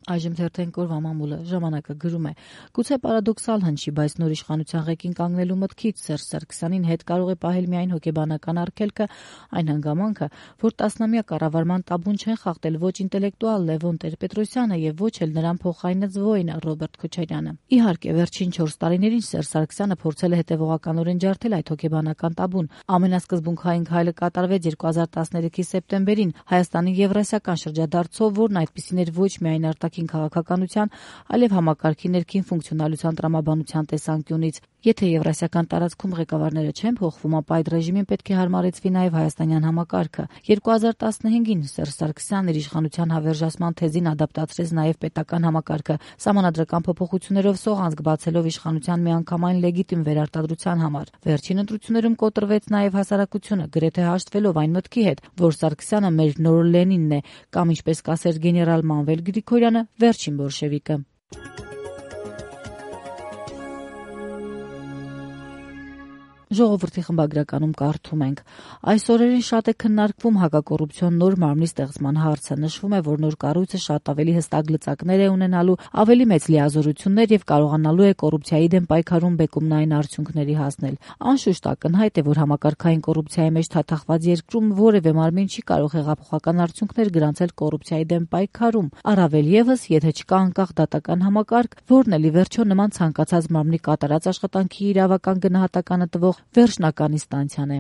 Այժմ թերթենք օրվա մամուլը ժամանակը գրում է. գուցե պարադոքսալ հնչի, բայց նոր իշխանության ղեկին կանգնելու մտքից Սերժ Սարգսյանին հետ կարող է պահել միայն հոգեբանական արգելքը, այն հանգամանքը, որ տասնամյա կառավարման տաբուն չեն խախտել ոչ ինտելեկտուալ Լևոն Տեր-Պետրոսյանը եւ ոչ էլ նրան փոխայինած воինը Ռոբերտ Քոչարյանը։ Իհարկե, վերջին 4 տարիներին Սերժ Սարգսյանը փորձել է հետևողականորեն ջարդել այդ հոգեբանական տաբուն։ Ամենասկզբունքային քայլը կատարվեց 2013-ի սեպտեմբերին Հայաստանի Եվրասիական շրջադարձով, որն այդպիսին էր ոչ միայն արտաքին քաղաքականության, այլև համակարգի ներքին ֆունկցիոնալության տրամաբանության տեսանկյունից։ Եթե Եվրասիական տարածքում ղեկավարները չեն փոխվում, ապա այդ ռեժիմին պետք է հարմարեցվի նաև հայաստանյան համակարգը։ 2015-ին Սերժ Սարգսյանն իր իշխանության հավերժացման թեզին ադապտացրեց նաև պետական համակարգը, սահմանադրական փոփոխություններով սողանցք բացելով իշխանության միանգամայն լեգիտիմ վերարտադրության համար։ Վերջին ընտրություններում կոտրվեց նաև հասարակությունը, գրեթե հաշտվելով այն մտքի հետ, որ Սարգսյանը մեր նոր Լենինն է, կամ ինչպես կասեր գեներալ Մանվել Գրիգորյանը, վերջին բոլշևիկը։ Ժողովրդի խմբագրականում կարդում ենք. այս օրերին շատ է քննարկվում հակակոռուպցիոն նոր մարմնի ստեղծման հարցը։ Նշվում է, որ նոր կառույցը շատ ավելի հստակ լծակներ է ունենալու, ավելի մեծ լիազորություններ եւ կարողանալու է կոռուպցիայի դեմ պայքարում բեկումնային արդյունքների հասնել։ Անշուշտ ակնհայտ է, որ համակարգային կոռուպցիայի մեջ թաթախված երկրում որևէ մարմին չի կարող հեղափոխական արդյունքներ գրանցել կոռուպցիայի դեմ պայքարում, առավել եւս, եթե չկա անկախ դատական համակարգ, որն էլ ի վերջո նման ցանկացած մարմնի կատարած աշխատանքի իրավական գնահատականը տվող վերջնական ինստանցիան է։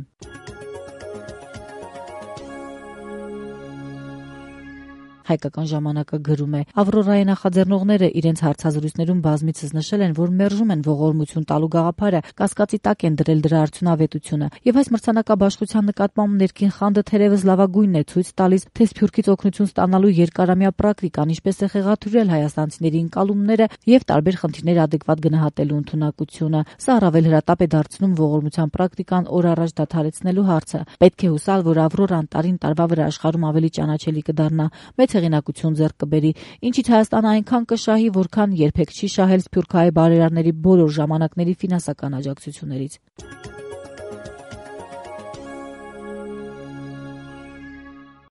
Հայկական ժամանակը գրում է. Ավրորայի նախաձեռնողները իրենց հարցազրույցներում բազմիցս նշել են, որ մերժում են ողորմություն տալու գաղափարը, կասկածի տակ են դրել դրա արդյունավետությունը, եւ այս մրցանակաբաշխության նկատմամբ ներքին խանդը թերևս լավագույնն է ցույց տալիս, թե Սփյուռքից օգնություն ստանալու երկարամյա պրակտիկան ինչպես է խեղաթյուրել հայաստանցիների ընկալումները եւ տարբեր խնդիրներ adekvat գնահատելու ընդունակությունը։ Սա առավել հրատապ է դարձնում ողորմության պրակտիկան օր առաջ դադարեցնելու հարցը։ Պետք է հուսալ, որ Ավրորան տարին տարվա վրա աշխարհում ավելի ճանաչելի կդառնա, մեծ հեղինակություն ձեռք կբերի, ինչից Հայաստանը այնքան կշահի, որքան երբեք չի շահել սփյուռքահայ բարերարների բոլոր ժամանակների ֆինանսական աջակցություններից։